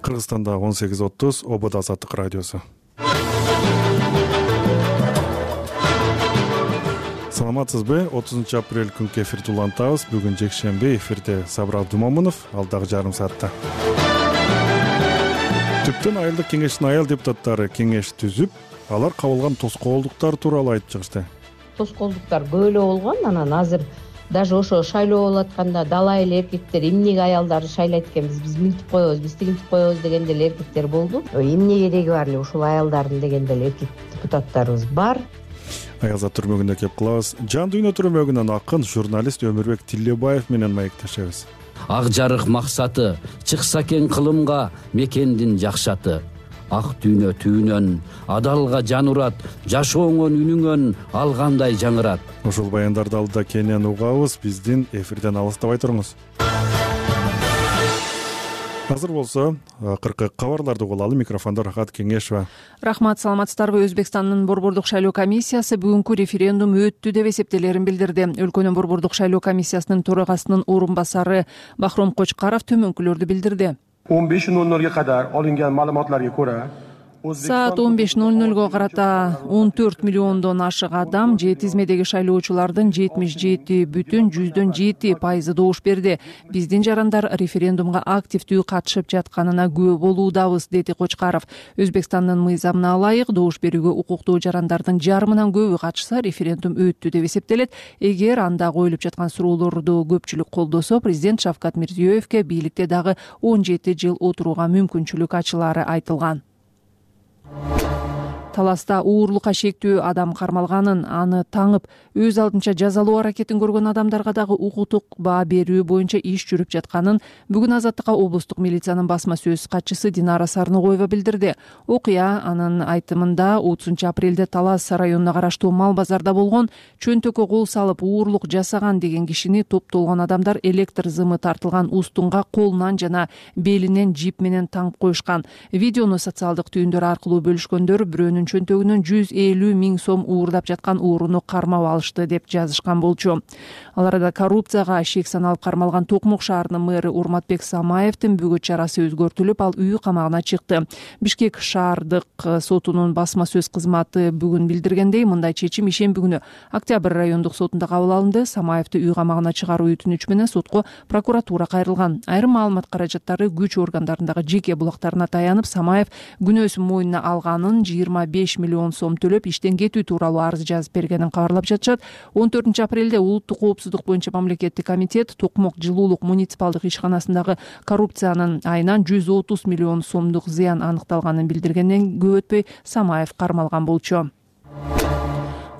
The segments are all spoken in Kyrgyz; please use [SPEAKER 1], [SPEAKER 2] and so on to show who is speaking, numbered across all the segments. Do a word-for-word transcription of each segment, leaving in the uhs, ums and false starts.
[SPEAKER 1] Кыргызстанда он сегиз отуз Обод Азаттык радиосу. Саламатсызбы? отузунчу апрель күнкү эфирди улантабыз. Бүгүн жекшемби, эфирде Сабыр Абдумомунов, алдагы жарым саатта. Түптөн айылдык кеңештин айыл депутаттары кеңеш түзүп, алар кабылган тоскоолдуктар тууралуу айтып чыгышты.
[SPEAKER 2] Тоскоолдуктар көп эле болгон. Анан азыр даже ошо шайлоо болуп атканда дала эле эркектер эмнеге аялдарды шайлайт экенбиз, биз мынтип коебуз, биз тигинтип коебуз деген деле эркектер болду. Эмне кереги бар эле ушул аялдардын деген деле эркек депутаттарыбыз бар.
[SPEAKER 1] Аялзат түрмөгүндө кеп кылабыз. Жан дүйнө түрмөгүнөн акын журналист Өмүрбек Тилебаев менен маектешебиз.
[SPEAKER 3] Ак жарык максаты чыкса экен кылымга мекендин жакшаты. Ак дүйнө түбүнөн адалга жан урат, жашооңон үнүңөн алгандай жаңырат.
[SPEAKER 1] Ушул баяндарды алдыда кенен угабыз, биздин эфирден алыстабай туруңуз. Азыр болсо акыркы кабарларды угулалы. Микрофондо Рахат Кеңешева.
[SPEAKER 4] Рахмат, саламатсыздарбы? Өзбекстандын Борбордук шайлоо комиссиясы бүгүнкү референдум өттү деп эсептелерин билдирди. Өлкөнүн Борбордук шайлоо комиссиясынын төрагасынын орун басары Бахром Кочкаров төмөнкүлөрдү билдирди.
[SPEAKER 5] он беш ноль нольга кадар алынган маалыматларга көрө
[SPEAKER 4] Саат он беш ноль нольго карата он төрт миллиондон ашык адам же тизмедеги шайлоочулардын жетимиш жети бүтүн жүздөн жети пайызы добуш берди. Биздин жарандар референдумга активдүү катышып жатканына күбө болуудабыз, деди Кочкаров. Өзбекстандын мыйзамына ылайык добуш берүүгө укуктуу жарандардын жарымынан көбү катышса референдум өттү деп эсептелет. Эгер анда коюлуп жаткан суроолорду көпчүлүк колдосо, президент Шавкат Мирзиёевке бийликте дагы он жети жыл отурууга мүмкүнчүлүк ачылары айтылган. Таласта уурлукка шектүү адам кармалганын, аны таңып өз алдынча жазалоо аракетин көргөн адамдарга дагы укуктук баа берүү боюнча иш жүрүп жатканын бүгүн Азаттыкка облустук милициянын басма сөз катчысы Динара Сарногоева билдирди. Окуя анын айтымында отузунчу апрелде Талас районуна караштуу Мал базарда болгон. Чөнтөккө кол салып уурлук жасаган деген кишини топтолгон адамдар электр зымы тартылган устунга колунан жана белинен жип менен таңып коюшкан. Видеону социалдык түйүндөр аркылуу бөлүшкөндөр бирөөнүн чөнтөгүнөн жүз элүү миң сом уурдап жаткан ууруну кармап алышты деп жазышкан болчу. Ал арада коррупцияга шек саналып кармалган Токмок шаарынын мэрі Урматбек Самаевдин бүгүн чарасы өзгөртүлүп, ал үй камагына чыкты. Бишкек шаардык сотунун басма сөз кызматы бүгүн билдиргендей, мындай чечим ишемби күнү Октябрь райондук сотунда кабыл алынды. Самаевди үй камагына чыгаруу өтүнүч менен сотко прокуратура кайрылган. Айрым маалымат каражаттары күч органдарындагы жеке булактарына таянып, Самаев күнөөсүн мойнуна алганын, жыйырма беш миллион сом төлөп иштен кетүү тууралуу арыз жазып бергенин кабарлап жатышат. он төртүнчү апрелде улуттук коопсуздук боюнча мамлекеттик комитет Токмок жылуулук муниципалдык ишканасындагы коррупциянын айынан жүз отуз миллион сомдук зыян аныкталганын билдиргенден көп өтпөй Самаев кармалган болчу.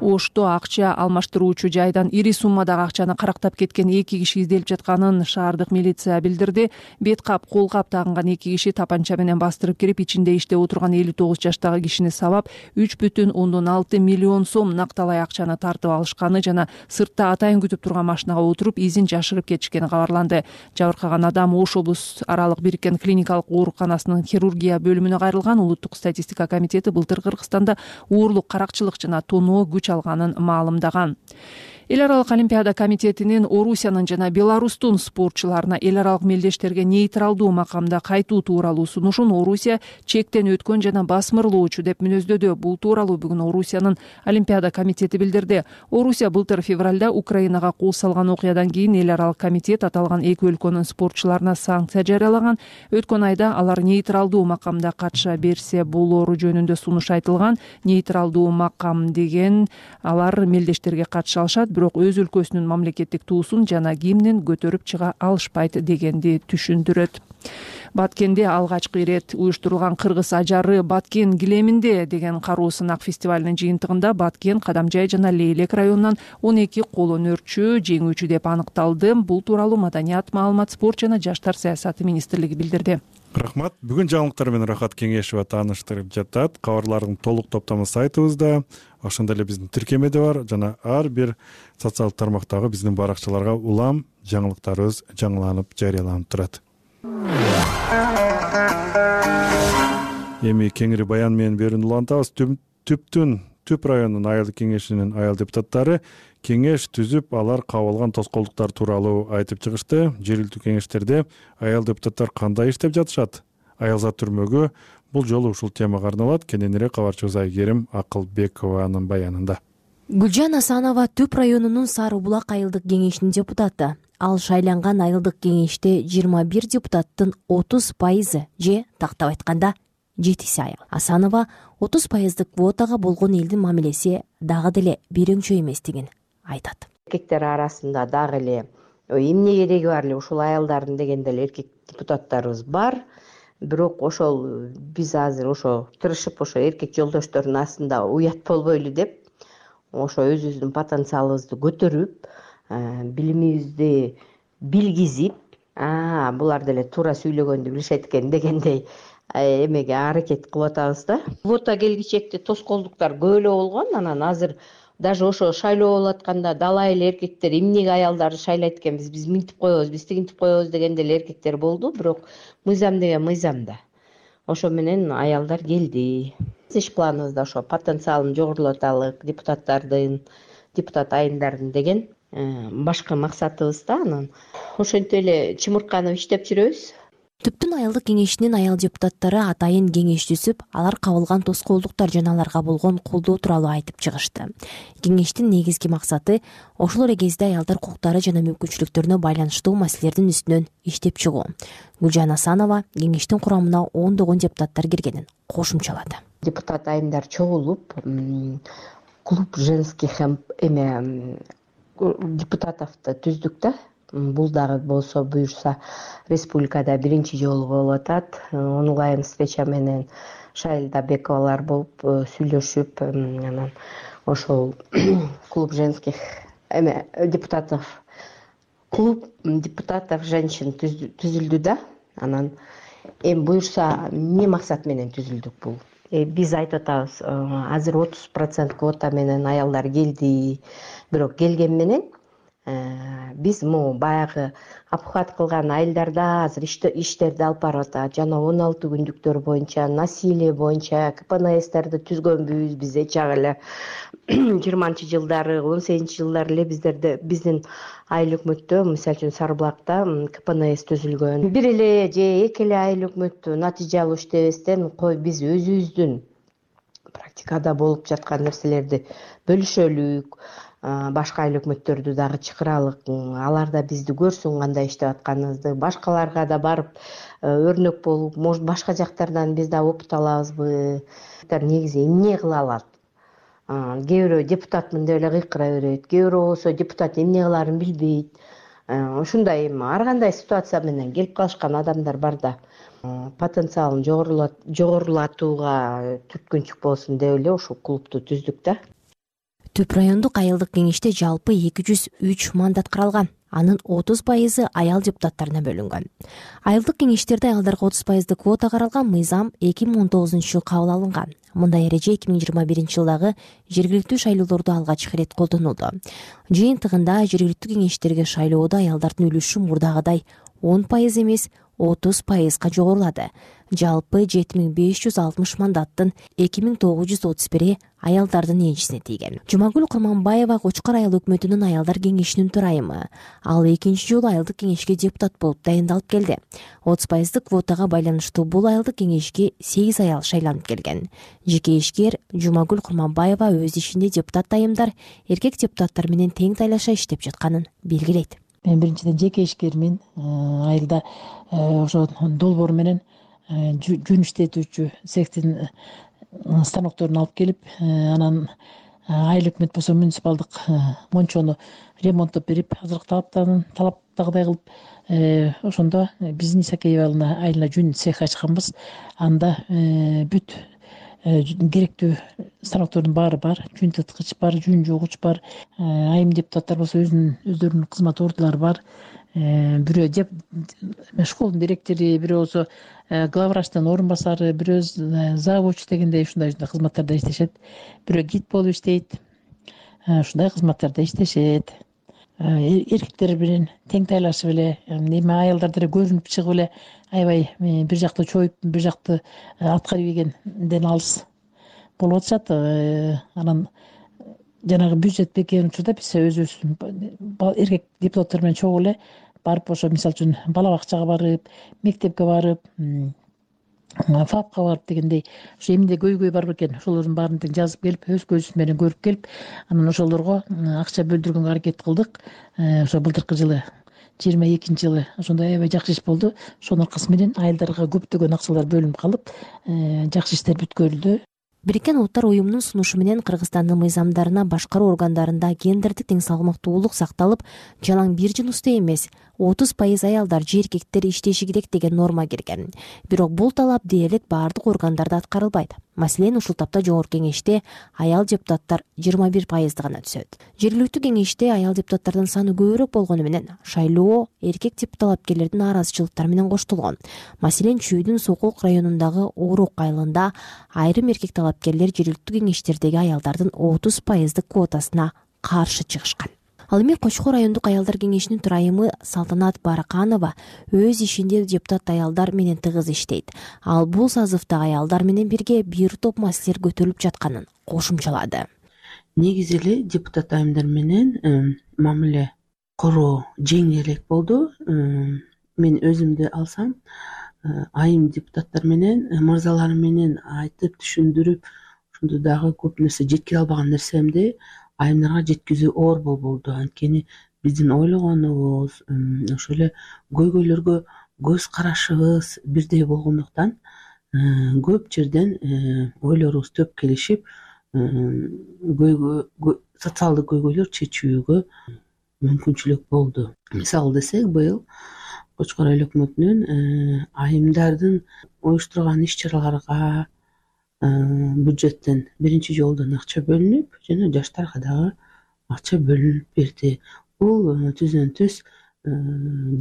[SPEAKER 4] Ошто акча алмаштыруучу жайдан ири суммадагы акчаны карактап кеткен эки киши изделип жатканын шаардык милиция билдирди. Бет кап, кол кап тагынган эки киши тапанча менен бастырып кирип, ичинде иштеп отурган элүү тогуз жаштагы кишини сабап, үч бүтүн ондон алты миллион сом накталай акчаны тартып алышканы жана сыртта атайын күтүп турган машинага отуруп изин жашырып кетишкени кабарланды. Жабыркаган адам Ош облус аралык бириккен клиникалык ооруканасынын хирургия бөлүмүнө кайрылган. Улуттук статистика комитети былтыр Кыргызстанда уурлук, каракчылык жана тоноо күч алганын маалымдаган. Эл аралык олимпиада комитетинин Орусиянын жана Беларустун спортчуларына эл аралык мелдештерге нейтралдуу макамда кайтуу тууралуу сунушун Орусия чектен өткөн жана басмырлоочу деп мүнөздөдү. Бул тууралуу бүгүн Орусиянын олимпиада комитети билдирди. Орусия былтыр февралда Украинага кол салган окуядан кийин эл аралык комитет аталган эки өлкөнүн спортчуларына санкция жарыялаган. Өткөн айда алар нейтралдуу макамда катыша берсе болору жөнүндө сунуш айтылган. Нейтралдуу макам деген алар мелдештерге катыша алышат, бирок өз өлкөсүнүн мамлекеттик туусун жана гимнин көтөрүп чыга алышпайт дегенди түшүндүрөт. Баткенде алгачкы ирет уюштурулган кыргыз ажары Баткен килеминде деген кароо сынак фестивалынын жыйынтыгында Баткен, Кадамжай жана Лейлек районунан он эки кол өнөрчү жеңүүчү деп аныкталды. Бул тууралуу Маданият, маалымат, спорт жана жаштар саясаты министрлиги билдирди.
[SPEAKER 1] Рахмат. Бүгүн жаңылыктар менен Рахат Кеңешева тааныштырып жатат. Кабарлардын толук топтому сайтыбызда, ошондой эле биздин тиркемеде бар жана ар бир социалдык тармактагы биздин баракчаларга улам жаңылыктарыбыз жаңыланып жарыяланып турат. Эми кеңири баян менен берүүнү улантабыз. Түптүн Түп районунун айылдык кеңешинин айыл депутаттары кеңеш түзүп, алар кабылган тоскоолдуктар тууралуу айтып чыгышты. Жергиликтүү кеңештерде айыл депутаттар кандай иштеп жатышат? аялзат түрмөгү. Бул жолу ушул темага арналат. Кененирээк кабарчыбыз Айгерим Акылбекованын баянында.
[SPEAKER 6] Гүлжан Асанова Түп районунун Сары Булак айылдык кеңешинин депутаты. Ал шайланган айылдык кеңеште жыйырма бир депутаттын отуз пайызы же тактап айтканда жетиси аял. Асанова отуз пайыздык квотага болгон элдин мамилеси дагы деле бирөңчө эместигин айтат.
[SPEAKER 2] Эркектер арасында дагы эле эмне кереги бар эле ушул аялдардын дегенде эле эркек депутаттарыбыз бар. Бирок ошол биз азыр ошо тырышып ошо эркек жолдоштордун астында уят болбойлу деп ошо өзүбүздүн потенциалыбызды көтөрүп, билимибизди билгизип, булар деле туура сүйлөгөндү билишет экен дегендей эмеге аракет кылып атабыз да. Квота келгичекте тоскоолдуктар көп эле болгон. Анан азыр даже ошо шайлоо болуп атканда дала эле эркектер эмнеге аялдарды шайлайт экенбиз, биз минтип коебуз, биз тигинтип коебуз дегенде эле эркектер болду. Бирок мыйзам деген мыйзам да. Ошо менен аялдар келди. Иш планыбызда ошо потенциалын жогорулаталык, депутаттардын, депутат айымдардын деген башкы максатыбыз да. Анан ошентип эле чымырканып иштеп жүрөбүз.
[SPEAKER 6] Түптүн айылдык кеңешинин аял депутаттары атайын кеңеш түзүп, алар кабылган тоскоолдуктар жана аларга болгон колдоо тууралуу айтып чыгышты. Кеңештин негизги максаты ошол эле кезде аялдар укуктары жана мүмкүнчүлүктөрүнө байланыштуу маселелердин үстүнөн иштеп чыгуу. Гүлжан Асанова кеңештин курамына ондогон депутаттар киргенин кошумчалады.
[SPEAKER 2] Депутат айымдар чогулуп, клуб женских эме депутатовду түздүк да. Бул дагы болсо буюрса республикада биринчи жолу болуп атат. Онлайн встреча менен Шайлда Бековалар болуп сүйлөшүп, анан ошол клуб женских эме депутатов клуб депутатов женщин түзүлдү да. Анан эми буюрса эмне максат менен түзүлдүк бул? Биз айтып атабыз, азыр отуз процент квота менен аялдар келди. Бирок келген менен биз могу баягы обхват кылган айылдарда азыр иштерди алып барып атат. Жана он алты күндүктөр боюнча, насилие боюнча ка пэ эн эстерди түзгөнбүз. Биз чак эле жыйырманчы жылдары, он сегизинчи жылдары эле биздерде биздин айыл өкмөттө, мисалы үчүн Сары Булакта ка пэ эн эс түзүлгөн. Бир эле же эки эле айыл өкмөттү натыйжа алуу иштебестен, кой биз өзүбүздүн практикада болуп жаткан нерселерди бөлүшөлүк. Башка айыл өкмөттөрдү дагы чакыралык, алар да бизди көрсүн кандай иштеп атканыбызды, башкаларга да барып өрнөк болуп, может башка жактардан биз да опыт алабызбы. Негизи эмне кыла алат? Кээ бирөө депутатмын деп эле кыйкыра берет, кээ бирөө болсо депутат эмне кылаарын билбейт. Ушундай эми ар кандай ситуация менен келип калышкан адамдар бар да. Потенциалын жогорулатууга түрткүнчүк болсун деп эле ушул клубду түздүк да.
[SPEAKER 6] Түп райондук айылдык кеңеште жалпы эки жүз үч мандат каралган. Анын отуз пайызы аял депутаттарына бөлүнгөн. Айылдык кеңештерде аялдарга отуз пайыздык квота каралган мыйзам эки миң он тогузунчу жылы кабыл алынган. Мындай эреже эки миң жыйырма биринчи жылдагы жергиликтүү шайлоолордо алгач ирет колдонулду. Жыйынтыгында жергиликтүү кеңештерге шайлоодо аялдардын үлүшү мурдагыдай он пайыз эмес, отуз пайызга жогорулады. Жалпы жети миң беш жүз алтымыш мандаттын эки миң тогуз жүз отуз бири аялдардын энчисине тийген. Жумагүл Курманбаева Кочкор айыл өкмөтүнүн аялдар кеңешинин төрайымы. Ал экинчи жолу айылдык кеңешке депутат болуп дайындалып келди. отуз пайыздык квотага байланыштуу бул айылдык кеңешке сегиз аял шайланып келген. Жеке ишкер Жумагүл Курманбаева өз ишинде депутат айымдар эркек депутаттар менен тең тайлаша иштеп жатканын белгилейт.
[SPEAKER 7] Мен биринчиден жеке ишкермин. Айылда ошо долбоор менен жүн иштетүүчү цехтин станокторун алып келип, анан айыл өкмөт болсо муниципалдык мончону ремонттоп берип, азыркы талаптарын талаптагыдай кылып, ошондо биздин Исакеева айылына жүн цех ачканбыз. Анда бүт керектүү станоктордун баары бар, жүн тыткыч бар, жүн жугуч бар. Айым депутаттар болсо өзүнүн өздөрүнүн кызмат ордулары бар. Бирөө школдун директори, бирөө болсо главврачтын орун басары, бирөө завуч дегендей ушундай ушундай кызматтарда иштешет. Бирөө гид болуп иштейт. Ушундай кызматтарда иштешет. Эркектер менен тең тайлашып эле, эми аялдар деле көрүнүп чыгып эле аябай бир жакты чоюп, бир жакты аткарып ийгенден алыс болуп атышат. Анан жанагы бюджет бекем учурда биз өзүбүз эркек депутаттар менен чогуу эле барып, ошо мисалы үчүн бала бакчага барып, мектепке барып, фапка барып дегендей ошо эмне көйгөй бар бекен, ошолордун баарын тең жазып келип, өз көзүбүз менен көрүп келип, анан ошолорго акча бөлдүргөнгө аракет кылдык. Ошо былтыркы жылы жыйырма экинчи жылы ошондой аябай жакшы иш болду. Ошонун аркасы менен айылдарга көптөгөн акчалар бөлүнүп калып, жакшы иштер бүткөрүлдү.
[SPEAKER 6] Бириккен Улуттар уюмунун сунушу менен Кыргызстандын мыйзамдарына башкаруу органдарында гендердик тең салмактуулук сакталып, жалаң бир жыныстуу эмес отуз пайыз аялдар же эркектер иштеши керек деген норма кирген. Бирок бул талап дээрлик баардык органдарда аткарылбайт. Маселен, ушул тапта Жогорку Кеңеште аял депутаттар жыйырма бир пайызды гана түзөт. Жергиликтүү кеңеште аял депутаттардын саны көбүрөөк болгону менен шайлоо эркек талапкерлердин нааразычылыктары менен коштолгон. Маселен, Чүйдүн Сокулук районундагы Оорук айылында айрым эркек талапкерлер жергиликтүү кеңештердеги аялдардын отуз пайыздык квотасына каршы чыгышкан. Ал эми Кочкор райондук аялдар кеңешинин төрайымы Салтанат Бараканова өз ишинде депутат аялдар менен тыгыз иштейт. Ал бул сазывда аялдар менен бирге бир топ маселелер көтөрүлүп жатканын кошумчалады.
[SPEAKER 8] Негизи эле депутат айымдар менен мамиле короо жеңилирээк болду. Мен өзүмдү алсам, айым депутаттар менен мырзалар менен айтып түшүндүрүп, ошондо дагы көп нерсе жеткире албаган нерсемди айымдарга жеткизүү оор болду. Анткени биздин ойлогонубуз, ошол эле көйгөйлөргө көз карашыбыз бирдей болгондуктан көп жерден ойлорубуз төп келишип, социалдык көйгөйлөр чечүүгө мүмкүнчүлүк болду. Мисалы десек, быйыл Кочкор айыл өкмөтүнүн айымдардын уюштурган иш-чараларга бюджеттен биринчи жолдон акча бөлүнүп, жана жаштарга дагы акча бөлүнүп берди. Бул түздөн түз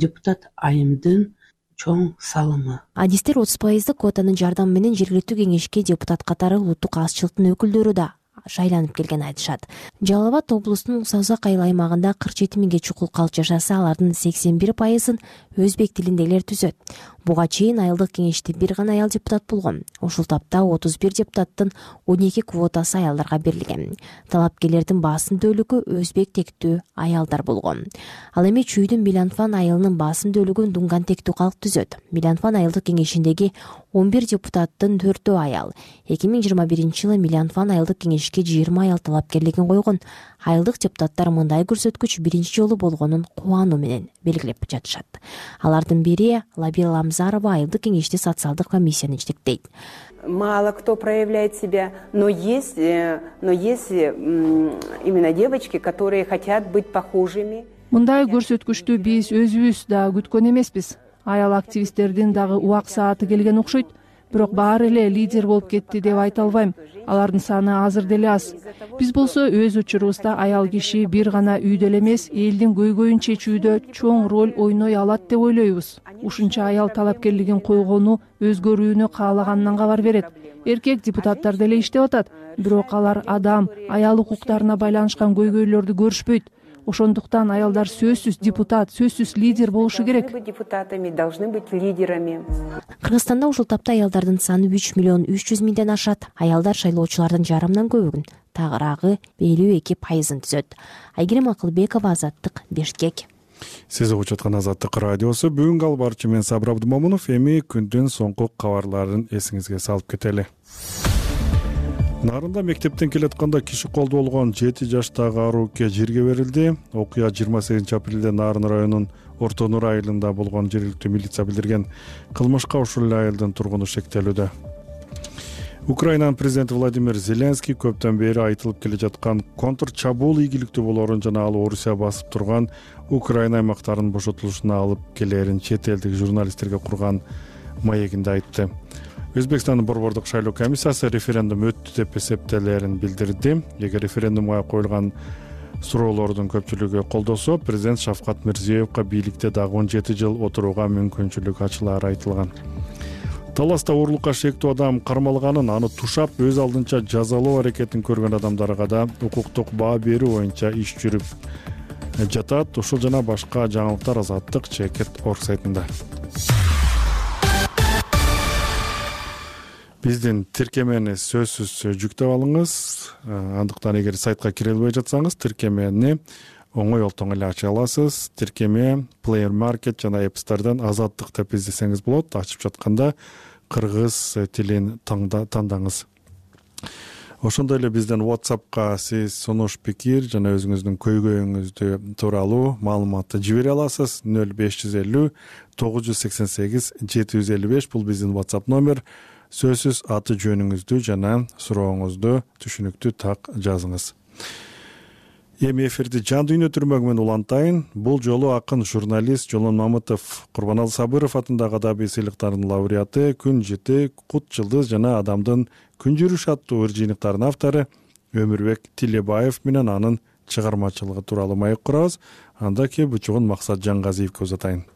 [SPEAKER 8] депутат айымдын чоң салымы.
[SPEAKER 6] Адистер отуз пайыздык квотанын жардамы менен жергиликтүү кеңешке депутат катары улуттук азчылыктын өкүлдөрү да шайланып келген айтышат. Жалал Абад облусунун Саузак айыл аймагында кырк жети миңге чукул калк жашаса, алардын сексен бир пайызын өзбек тилиндегилер түзөт. Буга чейин айылдык кеңеште бир гана аял депутат болгон. Ушул тапта отуз бир депутаттын он эки квотасы аялдарга берилген. Талапкерлердин басым бөлүгү өзбек тектүү аялдар болгон. Ал эми Чүйдүн Миланфан айылынын басым бөлүгүн Дунган тектүү калк түзөт. Миланфан айылдык кеңешиндеги он бир депутаттын төртөө аял. эки миң жыйырма биринчи жылы Миланфан айылдык кеңешке жыйырма аял талапкерлигин койгон. Айылдык депутаттар мындай көрсөткүч биринчи жолу болгонун кубануу менен белгилеп жатышат. Алардын бири Лабира Ламзарова айылдык кеңеште социалдык комиссияны жетектейт.
[SPEAKER 9] Мало кто проявляет себя, но есть, но есть именно девочки, которые хотят быть похожими.
[SPEAKER 4] Мындай көрсөткүчтү биз өзүбүз да күткөн эмеспиз. Аял активисттердин дагы убак сааты келген окшойт. Бирок баары эле лидер болуп кетти деп айта албайм. Алардын саны азыр деле аз. Биз болсо өз учурубузда аял киши бир гана үйдө эле эмес, элдин көйгөйүн чечүүдө чоң роль ойной алат деп ойлойбуз. Ушунча аял талапкерлигин койгону өзгөрүүнү каалаганынан кабар берет. Эркек депутаттар деле иштеп атат, бирок алар адам, аял укуктарына байланышкан көйгөйлөрдү көрүшпөйт. Ошондуктан аялдар сөзсүз депутат, сөзсүз лидер болушу керек.
[SPEAKER 9] Депутатами должны быть лидерами.
[SPEAKER 6] Кыргызстанда ушул тапта аялдардын саны үч миллион үч жүз миңден ашат. Аялдар шайлоочулардын жарымынан көбүгүн, тагыраагы элүү эки пайызын түзөт. Айгерим Акылбекова, Азаттык, Бишкек.
[SPEAKER 1] Сиз угуп жаткан Азаттык радиосу. Бүгүнкү албарчы мен Сабыр Абдымомунов. Эми күндүн соңку кабарларын эсиңизге салып кетели. Нарында мектептен келатканда киши колдо болгон жети жаштагы арууке жерге берилди. Окуя жыйырма сегизинчи апрелде Нарын районунун Орто Нур айылында болгон. Жергиликтүү милиция билдирген. Кылмышка ушул эле айылдын тургуну шектелүүдө. Украинанын президенти Владимир Зеленский көптөн бери айтылып келе жаткан контр чабуул ийгиликтүү болорун жана ал Орусия басып турган Украина аймактарынын бошотулушуна алып келерин чет элдик журналисттерге курган маегинде айтты. Өзбекстандын борбордук шайлоо комиссиясы референдум өттү деп эсептелерин билдирди. Эгер референдумга коюлган суроолордун көпчүлүгү колдосо, президент Шавкат Мирзиёевго бийликте дагы он жети жыл отурууга мүмкүнчүлүк ачылары айтылган. Таласта уурулукка шектүү адам кармалганын, аны тушап өз алдынча жазалоо аракетин көргөн адамдарга да укуктук баа берүү боюнча иш жүрүп жатат. Ушул жана башка жаңылыктар Азаттык Чекет орг сайтында. Биздин тиркемени сөзсүз жүктөп алыңыз. Андыктан эгер сайтка кире албай жатсаңыз, тиркемени оңой олтоң эле ача аласыз. Тиркеме Play Market жана App Store'дан Азаттык деп издесеңиз болот. Ачып жатканда кыргыз тилин тандаңыз. Ошондой эле бизден WhatsAppка сиз сунуш пикир жана өзүңүздүн көйгөйүңүздү тууралуу маалыматты жибере аласыз. нөл беш жүз элүү тогуз жүз сексен сегиз жети жүз элүү беш бул биздин WhatsApp номер. Сөзсүз аты жөнүңүздү жана сурооңузду түшүнүктүү так жазыңыз. Эми эфирди жан дүйнө түрмөгү менен улантайын. Бул жолу акын журналист Жолон Мамытов, Курбаналы Сабыров атындагы адабий сыйлыктардын лауреаты, Күн жыты, Кут жылдыз жана Адамдын күн жүрүш аттуу ыр жыйынтыктарынын автору Өмүрбек Тилебаев менен анын чыгармачылыгы тууралуу маек курабыз. Анда ке бучугун Максат Жаңгазиевке узатайын.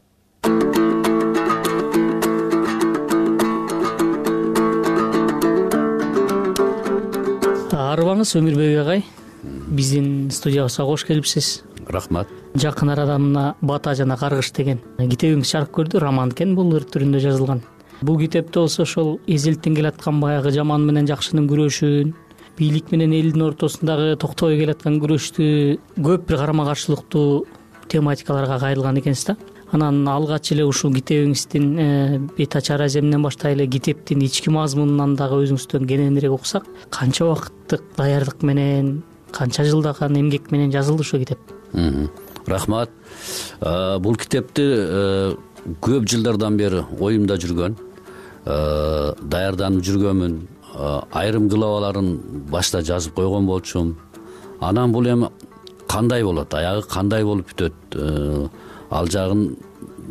[SPEAKER 10] Арыбаңыз Өмүрбек агай, биздин студиябызга кош келипсиз.
[SPEAKER 3] Рахмат.
[SPEAKER 10] Жакын арадамына Бата жана Каргыш деген китебиңиз чыгарып көрдү, роман экен, бул ыр түрүндө жазылган. Бул китепте болсо ошол эзелттен келаткан баягы жаман менен жакшынын күрөшүн, бийлик менен элдин ортосундагы токтобой келаткан күрөштү көп бир карама каршылыктуу тематикаларга кайрылган экенсиз да. Анан алгач эле ушул китебиңиздин бет ачар аземинен баштай эле китептин ички мазмунунан дагы өзүңүздөн кененирээк уксак, канча убакыттык даярдык менен, канча жылдаган эмгек менен жазылды ушул китеп?
[SPEAKER 3] Рахмат. Бул китепти көп жылдардан бери оюмда жүргөн, даярданып жүргөнмүн. Айрым главаларын башта жазып койгон болчумун. Анан бул эми кандай болот, аягы кандай болуп бүтөт, ал жагын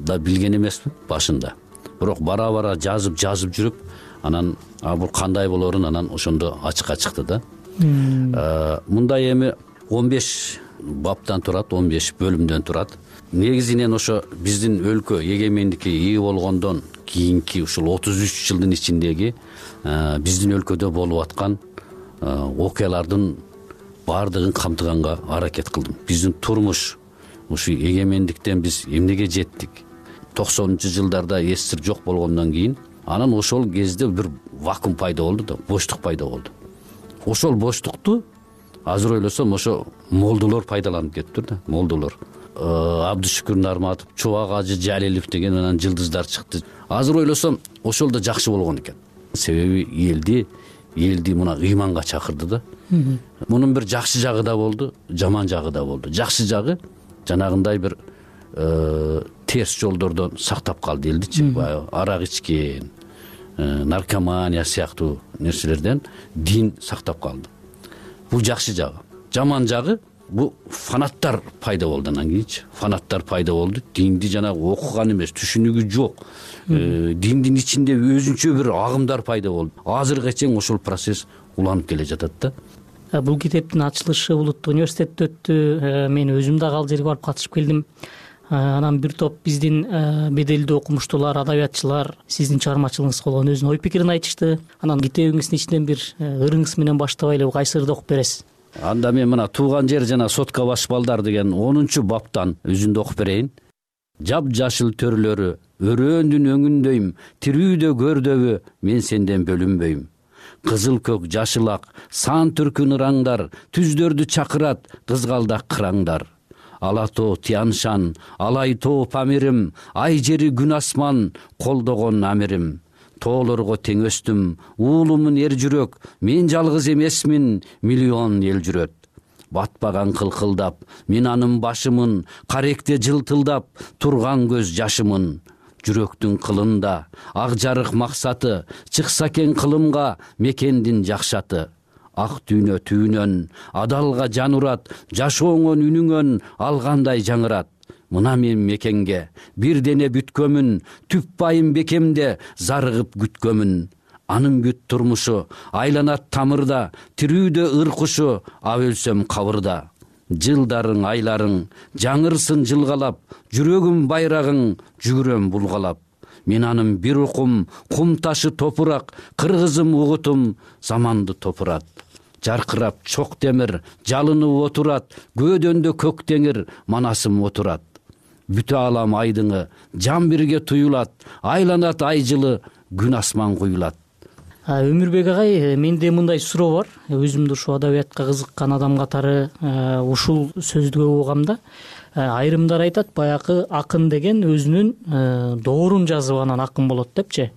[SPEAKER 3] да билген эмесмин башында. Бирок бара-бара жазып жазып жүрүп, анан бул кандай болорун анан ошондо ачыкка чыкты да. Мындай эми он беш баптан турат, он беш бөлүмдөн турат. Негизинен ошо биздин өлкө эгемендикке ээ болгондон кийинки ушул отуз үч жылдын ичиндеги биздин өлкөдө болуп аткан окуялардын баардыгын камтыганга аракет кылдым. Биздин турмуш, ушу эгемендиктен биз эмнеге жеттик? токсонунчу жылдарда СССР жок болгондон кийин анан ошол кезде бир вакуум пайда болду да, боштук пайда болду. Ошол боштукту азыр ойлосом ошо молдолор пайдаланып кетиптир да, молдолор. Абдышүкүр Нарматов, Чубак Ажы Жалилов деген анан жылдыздар чыкты. Азыр ойлосом ошол да жакшы болгон экен. Себеби элди, элди мына ыйманга чакырды да. Мунун бир жакшы жагы да болду, жаман жагы да болду. Жакшы жагы жанагындай бир терс жолдордон сактап калды элдичи. Баягы арак ичкен, наркомания сыяктуу нерселерден дин сактап калды. Бул жакшы жагы. Жаман жагы бул фанаттар пайда болду анан кийинчи. Фанаттар пайда болду. Динди жанагы окуган эмес, түшүнүгү жок. Диндин ичинде өзүнчө бир агымдар пайда болду. Азыркыга чейин ошол процесс уланып келе жатат да.
[SPEAKER 10] Бул китептин ачылышы Улуттук университетте өттү. Мен өзүм дагы ал жерге барып катышып келдим. Анан бир топ биздин беделдүү окумуштуулар, адабиятчылар сиздин чыгармачылыгыңызга болгон өзүнүн ой пикирин айтышты. Анан китебиңиздин ичинен бир ырыңыз менен баштабай эле кайсы ырды окуп бересиз?
[SPEAKER 3] Анда мен мына Тууган жер жана Сотка баш балдар деген онунчу баптан үзүндү окуп берейин. Жап жашыл төрлөрү өрөөндүн өңүндөйм, тирүүдө көрдөбү мен сенден бөлүнбөйм. Кызыл көк жашыл ак сан түркүн ыраңдар, түздөрдү чакырат кызгалдак кыраңдар. Ала тоо Тяншан, алай тоо Памирим, ай жери күн асман колдогон амирим. Тоолорго тең өстүм, уулумун эр жүрөк, мен жалгыз эмесмин, миллион эл жүрөт. Батпаган кылкылдап, мен анын башымын, каректе жылтылдап, турган көз жашымын. Жүрөктүн кылында, ак жарык максаты, чыкса экен кылымга мекендин жакшаты. Ак дүйнө түйүнөн, адалга жан урат, жашооңон үнүңөн алгандай жаңырат. Мына мен мекенге бир дене бүткөмүн, түп байым бекемде зарыгып күткөмүн. Анын бүт турмушу айланат тамырда, тирүүдө ыр кушу, а өлсөм кабырда. Жылдарың, айларың жаңырсын жылгалап, жүрөгүм байрагың жүгүрөм булгалап. Мен анын бир укум, кум ташы топурак, кыргызым угутум заманды топурат. Жаркырап чок темир, жалынып отурат, көөдөндө көк теңир, манасым отурат. Бүтө алам айдыңы, жан бирге туюлат, айланат ай жылы, күн асман куюлат.
[SPEAKER 10] Өмүрбек агай, менде мындай суроо бар. Өзүмдү ушул адабиятка кызыккан адам катары ушул сөздү көп угам да. Айрымдар айтат, баягы акын деген өзүнүн доорун жазып анан акын болот депчи.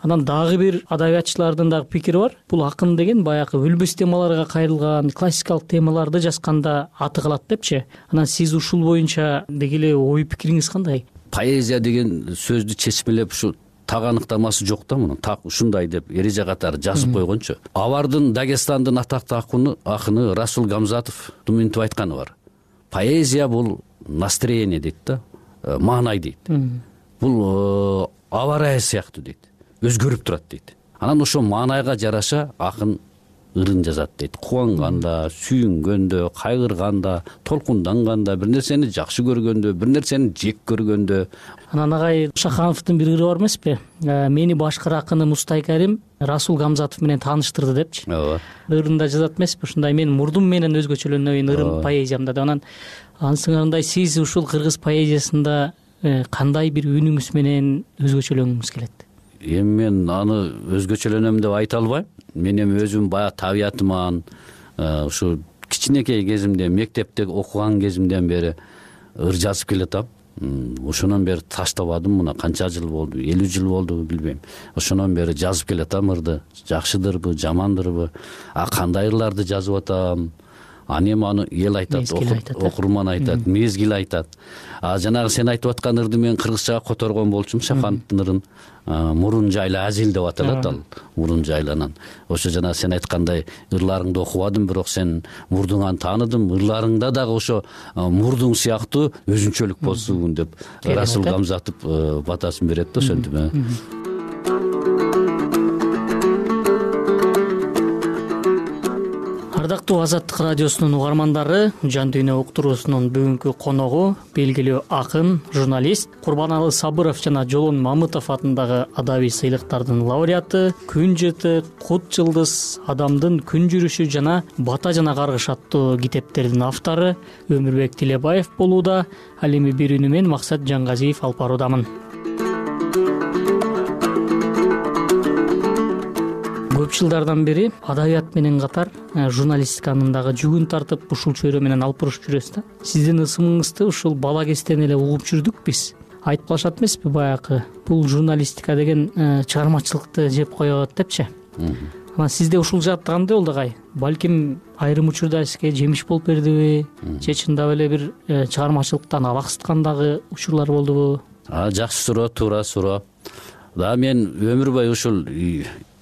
[SPEAKER 10] Анан дагы бир адабиятчылардын дагы пикири бар. Бул акын деген баягы өлбөс темаларга кайрылган классикалык темаларды жазганда аты калат депчи. Анан сиз ушул боюнча деги эле ой пикириңиз кандай?
[SPEAKER 3] Поэзия деген сөздү чечмелеп ушу так аныктамасы жок да, мунун так ушундай деп эреже катары жазып койгончу. Абардын Дагестандын атактуу акыны акыны Расул Гамзатов мынтип айтканы бар. Поэзия бул настроение дейт да, маанай дейт. Бул аба ырайы сыяктуу дейт, өзгөрүп турат дейт. Анан ошо маанайга жараша акын ырын жазат дейт. Кубанганда, сүйүнгөндө, кайгырганда, толкунданганда, бир нерсени жакшы көргөндө, бир нерсени жек көргөндө.
[SPEAKER 10] Анан агай Шахановдун бир ыры бар эмеспи? Мени башкы акыны Мустай Карим Расул Гамзатов менен тааныштырды депчи.
[SPEAKER 3] Ооба.
[SPEAKER 10] Ырында жазат эмеспи? Ушундай мен мурдум менен өзгөчөлөнөйүн ырым поэзиямда деп. Анан ансыңарындай сиз ушул кыргыз поэзиясында кандай бир үнүңүз менен өзгөчөлөнгүңүз келет?
[SPEAKER 3] Эми мен аны өзгөчөлөнөм деп айта албайм. Мен эми өзүм баягы табиятыман ушу кичинекей кезимден, мектепте окуган кезимден бери ыр жазып келатам. Ошонон бери таштабадым. Мына канча жыл болду, элүү жыл болду билбейм. Ошонон бери жазып келатам ырды. Жакшыдырбы, жамандырбы, а кандай ырларды жазып атам? Аны эми аны эл айтат, окурман айтат, мезгил айтат. А жанагы сен айтып аткан ырды мен кыргызчага которгон болчумун, Шахановдун ырын. Мурун жайла азил деп аталат ал. Мурун жайланан. Ошо жана сен айткандай ырларыңды окубадым, бирок сен мурдуңан тааныдым. Ырларыңда дагы ошо мурдуң сыяктуу өзүнчөлүк болсун деп Расул Гамзатов батасын берет да ошентип.
[SPEAKER 10] Ардактуу Азаттык радиосунун угармандары, Жан дүйнө уктуруусунун бүгүнкү коногу белгилүү акын, журналист Курбаналы Сабыров жана Жолон Мамытов атындагы адабий сыйлыктардын лауреаты, Күн жыты, Кут жылдыз, Адамдын күн жүрүшү жана Бата жана каргыш аттуу китептердин автору Өмүрбек Тилебаев болууда. Ал эми бир үнү менен Максат Жангазиев алып баруудамын. Көп жылдардан бери адабият менен катар журналистиканын дагы жүгүн тартып ушул чөйрө менен алып буруш жүрөсүз да. Сиздин ысымыңызды ушул бала кезден эле угуп жүрдүк биз. Айтпашат эмеспи баягы бул журналистика деген чыгармачылыкты жеп коет депчи. Анан сизде ушул жаат кандай болду агай? Балким айрым учурда сизге жемиш болуп бердиби? Же чындап эле бир чыгармачылыктан абаксыткан дагы учурлар болдубу?
[SPEAKER 3] А жакшы суроо, туура суроо. Да мен өмүр бою ушул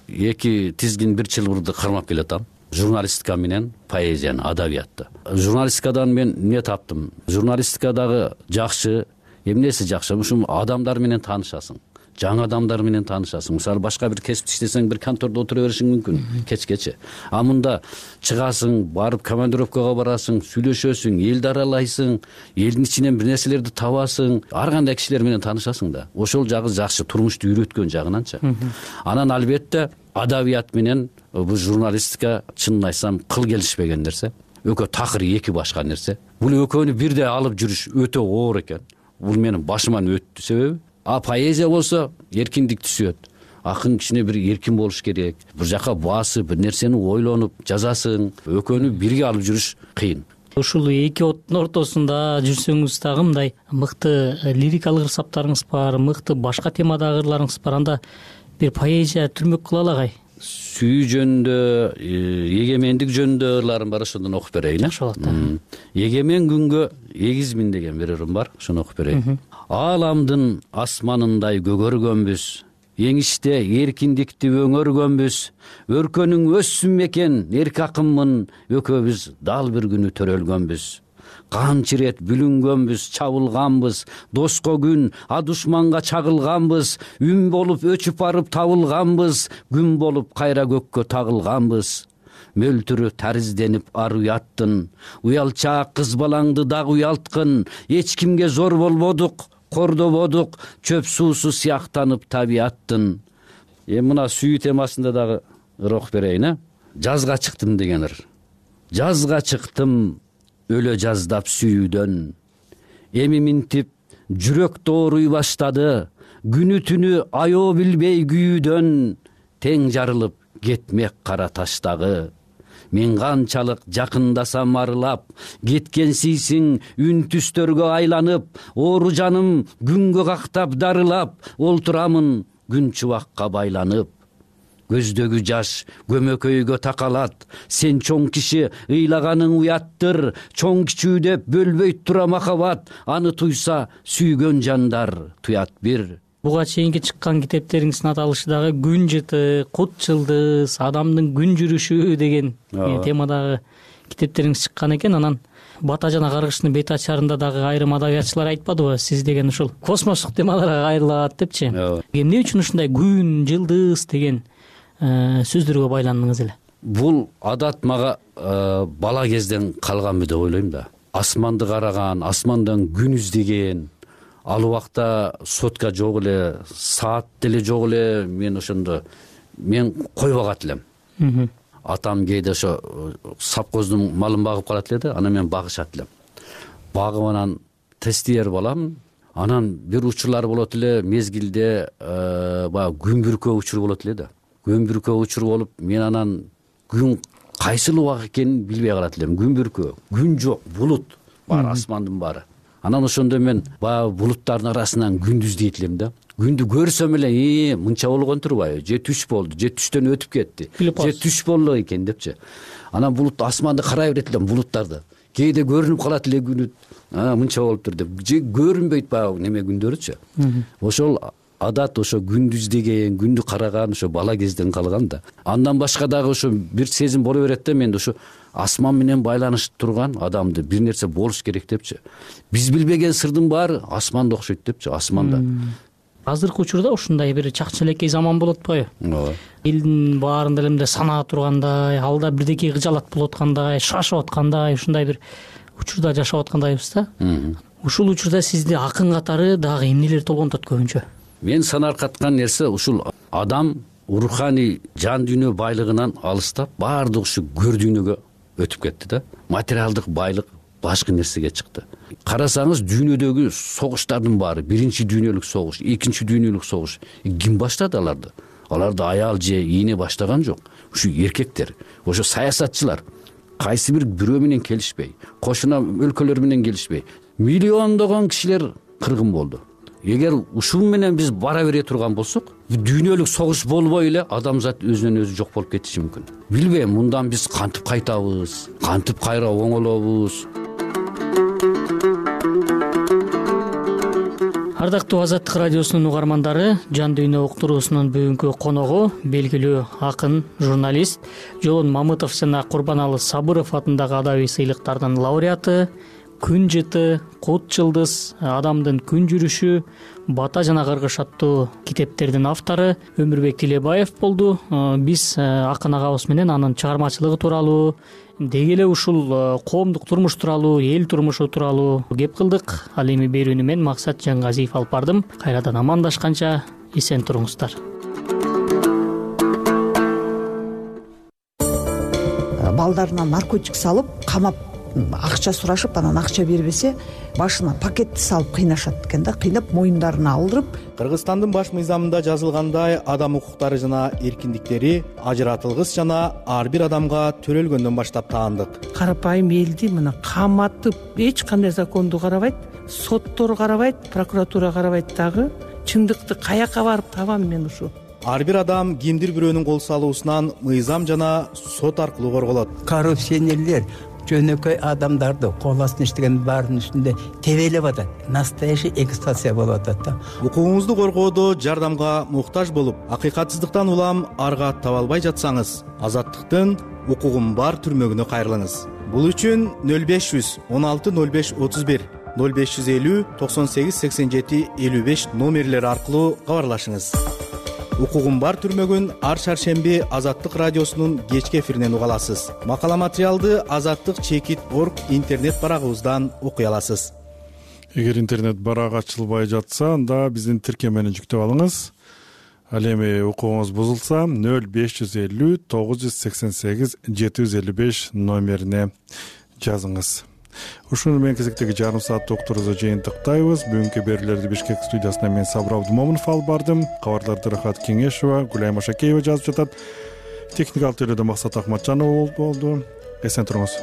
[SPEAKER 3] эки тизгин бир чылбырды кармап келатам. Журналистика менен поэзияны, адабиятты. Журналистикадан мен эмне таптым? Журналистикадагы жакшы, эмнеси жакшы? Ушул адамдар менен таанышасың. Жаңы адамдар менен таанышасың. Мисалы башка бир кесипте иштесең, бир контордо отура беришиң мүмкүн кечкече. А мында чыгасың, барып командировкага барасың, сүйлөшөсүң, элди аралайсың, элдин ичинен бир нерселерди табасың, ар кандай кишилер менен таанышасың да. Ошол жагы жакшы, турмушту үйрөткөн жагынанчы. Анан албетте адабият менен бул журналистика чынын айтсам кыл келишпеген нерсе. Экөө такыры эки башка нерсе. Бул экөөнү бирдей алып жүрүш өтө оор экен. Бул менин башыман өттү себеби. А поэзия болсо эркиндик түшөт. Акын кичине бир эркин болуш керек. Бир жака басып, бир нерсени ойлонуп жазасың. Экөөнү бирге алып жүрүш кыйын.
[SPEAKER 10] Ушул эки оттун ортосунда жүрсөңүз дагы мындай мыкты лирикалык ырсаптарыңыз бар, мыкты башка темадагы ырларыңыз бар. Анда бир поэзия түрмөк кылалы агай.
[SPEAKER 3] Сүйүү жөнүндө, эгемендик жөнүндө ырларым бар, ошондон окуп берейин.
[SPEAKER 10] Жакшы болот.
[SPEAKER 3] Эгемен күнгө эгизмин деген бир ырым бар, ошону окуп берейин. Ааламдын асманындай көгөргөнбүз, эңиште эркиндикти өңөргөнбүз, өркөнүң өссүн мекен эрк акынмын, экөөбүз дал бир күнү төрөлгөнбүз. Канча ирет бүлүнгөнбүз, чабылганбыз, доско күн, а душманга чагылганбыз, үн болуп өчүп барып табылганбыз, күн болуп кайра көккө тагылганбыз. Мөлтүрү таризденип ар уяттын, уялчаак кыз балаңды дагы уялткын, эч кимге зор болбодук, кордободук, чөп суусу сыяктанып табияттын. Эми мына сүйүү темасында дагы ыр окуп берейин, э? Жазга чыктым деген ыр. Жазга чыктым, өлө жаздап сүйүүдөн. Эми минтип жүрөк дооруй баштады, күнү түнү аё билбей күйүүдөн, тең жарылып кетмек кара таштагы. Мен канчалык жакындасам арылап, кеткенсийсиң үн түстөргө айланып, оору жаным күнгө кактап дарылап, олтурамын күн чубакка байланып. Көздөгү жаш көмөкөйгө такалат, сен чоң киши ыйлаганың уяттыр, чоң кичүү деп бөлбөйт тура махабат, аны туйса сүйгөн жандар туят бир.
[SPEAKER 10] Буга чейинки чыккан китептериңиздин аталышы дагы күн жыты, кут жылдыз, адамдын күн жүрүшү деген темадагы китептериңиз чыккан экен. Анан Бата жана каргыштын бет ачарында дагы айрым адабиятчылар айтпадыбы, сиз деген ушул космостук темаларга кайрылат депчи. Эмне үчүн ушундай күн, жылдыз деген сөздөргө байландыңыз эле?
[SPEAKER 3] Бул адат мага бала кезден калганбы деп ойлойм да. Асманды караган, асмандан күн издеген, ал убакта сотка жок эле, саат деле жок эле. Мен ошондо мен койбогат элем. Атам кээде ошо сапкоздун малын багып калат эле да, анан мен багышат элем. Багып анан тестиер балам. Анан бир учурлар болот эле, мезгилде баягы күн бүркөө учур болот эле да. Күн бүркөө учур болуп, мен анан күн кайсыл убак экенин билбей калат элем. Күн бүркөө, күн жок, булут бар, асмандын баары. Анан ошондо мен баягы булуттардын арасынан күндү издейт элем да. Күндү көрсөм эле, "Э, мынча болгон турбайбы? Же түш болду, же түштөн өтүп кетти, же түш болду экен" депчи. Анан булут асманды карай берет элем, булуттарды. Кээде көрүнүп калат эле күнү, "А, мынча болуптур" деп. Же көрүнбөйт баягы неме күндөрүчү. Ошол адат ошо күндү издеген, күндү караган ошо бала кезден калган да. Андан башка дагы ошо бир сезим боло берет да, менде ошо асман менен байланышып турган адамды бир нерсе болуш керек депчи. Биз билбеген сырдын баары асманда окшойт депчи, асманда.
[SPEAKER 10] Азыркы учурда ушундай бир чакчелекей заман болуп атпайбы? Ооба. Элдин баарында эле санаа тургандай, алда бирдеке кыжалат болуп аткандай, шашып аткандай, ушундай бир учурда жашап аткандайбыз да. Ушул учурда сизди акын катары дагы эмнелер толгонтот көбүнчө?
[SPEAKER 3] Мен санаркаткан нерсе ушул адам руханий жан дүйнө байлыгынан алыстап, баардык ушу көр дүйнөгө өтүп кетти да. Материалдык байлык башка нерсеге чыкты. Карасаңыз, дүйнөдөгү согуштардын баары, биринчи дүйнөлүк согуш, экинчи дүйнөлүк согуш, ким баштады аларды? Аларды аял же ийне баштаган жок. Ушу эркектер, ошо саясатчылар кайсы бир бирөө менен келишпей, кошуна өлкөлөр менен келишпей, миллиондогон кишилер кыргын болду. Эгер ушул менен биз бара бере турган болсок, дүйнөлүк согуш болбой эле адамзат өзүнөн өзү жок болуп кетиши мүмкүн. Билбейм, мындан биз кантип кайтабыз, кантип кайра оңолобуз.
[SPEAKER 10] Ардактуу Азаттык радиосунун угармандары, Жан дүйнө уктуруусунун бүгүнкү коногу белгилүү акын, журналист Жоон Мамытов жана Курбаналы Сабыров атындагы адабий сыйлыктардын лауреаты, Күн жыты, Кут жылдыз, Адамдын күн жүрүшү, Бата жана каргыш аттуу китептердин автору Өмүрбек Тилебаев болду. Биз акын агабыз менен анын чыгармачылыгы тууралуу, деги эле ушул коомдук турмуш тууралуу, эл турмушу тууралуу кеп кылдык. Ал эми берүүнү мен Максат Жаңгазиев алып бардым. Кайрадан амандашканча эсен туруңуздар.
[SPEAKER 11] Балдарына наркотик салып, камап, акча сурашып, анан акча бербесе, башына пакетти салып кыйнашат экен да, кыйнап моюндарына алдырып.
[SPEAKER 12] Кыргызстандын баш мыйзамында жазылгандай, адам укуктары жана эркиндиктери ажыратылгыс жана ар бир адамга төрөлгөндөн баштап таандык.
[SPEAKER 13] Карапайым элди мына каматып, эч кандай законду карабайт, соттор карабайт, прокуратура карабайт дагы. Чындыкты каяка барып табам мен ушу?
[SPEAKER 12] Ар бир адам кимдир бирөөнүн кол салуусунан мыйзам жана сот аркылуу корголот.
[SPEAKER 14] Коррупционерлер жөнөкөй адамдарды кол астына иштеген баарынын үстүндө тебелеп атат. Настоящий эксплуатация болуп атат да.
[SPEAKER 12] Укугуңузду коргоодо жардамга муктаж болуп, акыйкатсыздыктан улам арга таба албай жатсаңыз, Азаттыктын укугум бар түрмөгүнө кайрылыңыз. Бул үчүн нөл беш жүз он алты нөл беш отуз бир, нөл беш жүз элүү токсон сегиз сексен жети элүү беш номерлери аркылуу кабарлашыңыз. Укугум бар түрмөгүн ар шаршемби Азаттык радиосунун кечки эфиринен уга аласыз. Макала материалды Азаттык чекит точка орг интернет барагыбыздан окуй аласыз.
[SPEAKER 1] Эгер интернет барак ачылбай жатса, анда биздин тиркемени жүктөп алыңыз. Ал эми укугуңуз бузулса, нөл беш жүз элүү тогуз жүз сексен сегиз жети жүз элүү беш номерине жазыңыз. Ушуну менен кезектеги жарым саат уктуруубузду жыйынтыктайбыз. Бүгүнкү берүүлөрдү Бишкек студиясынан мен Сабыр Абдумомунов алып бардым. Кабарларды Рахат Кеңешова, Гүлайым Ашакеева жазып жатат. Техникалык төлөөдө Максат Акматжанов болду. Эсен туруңуз.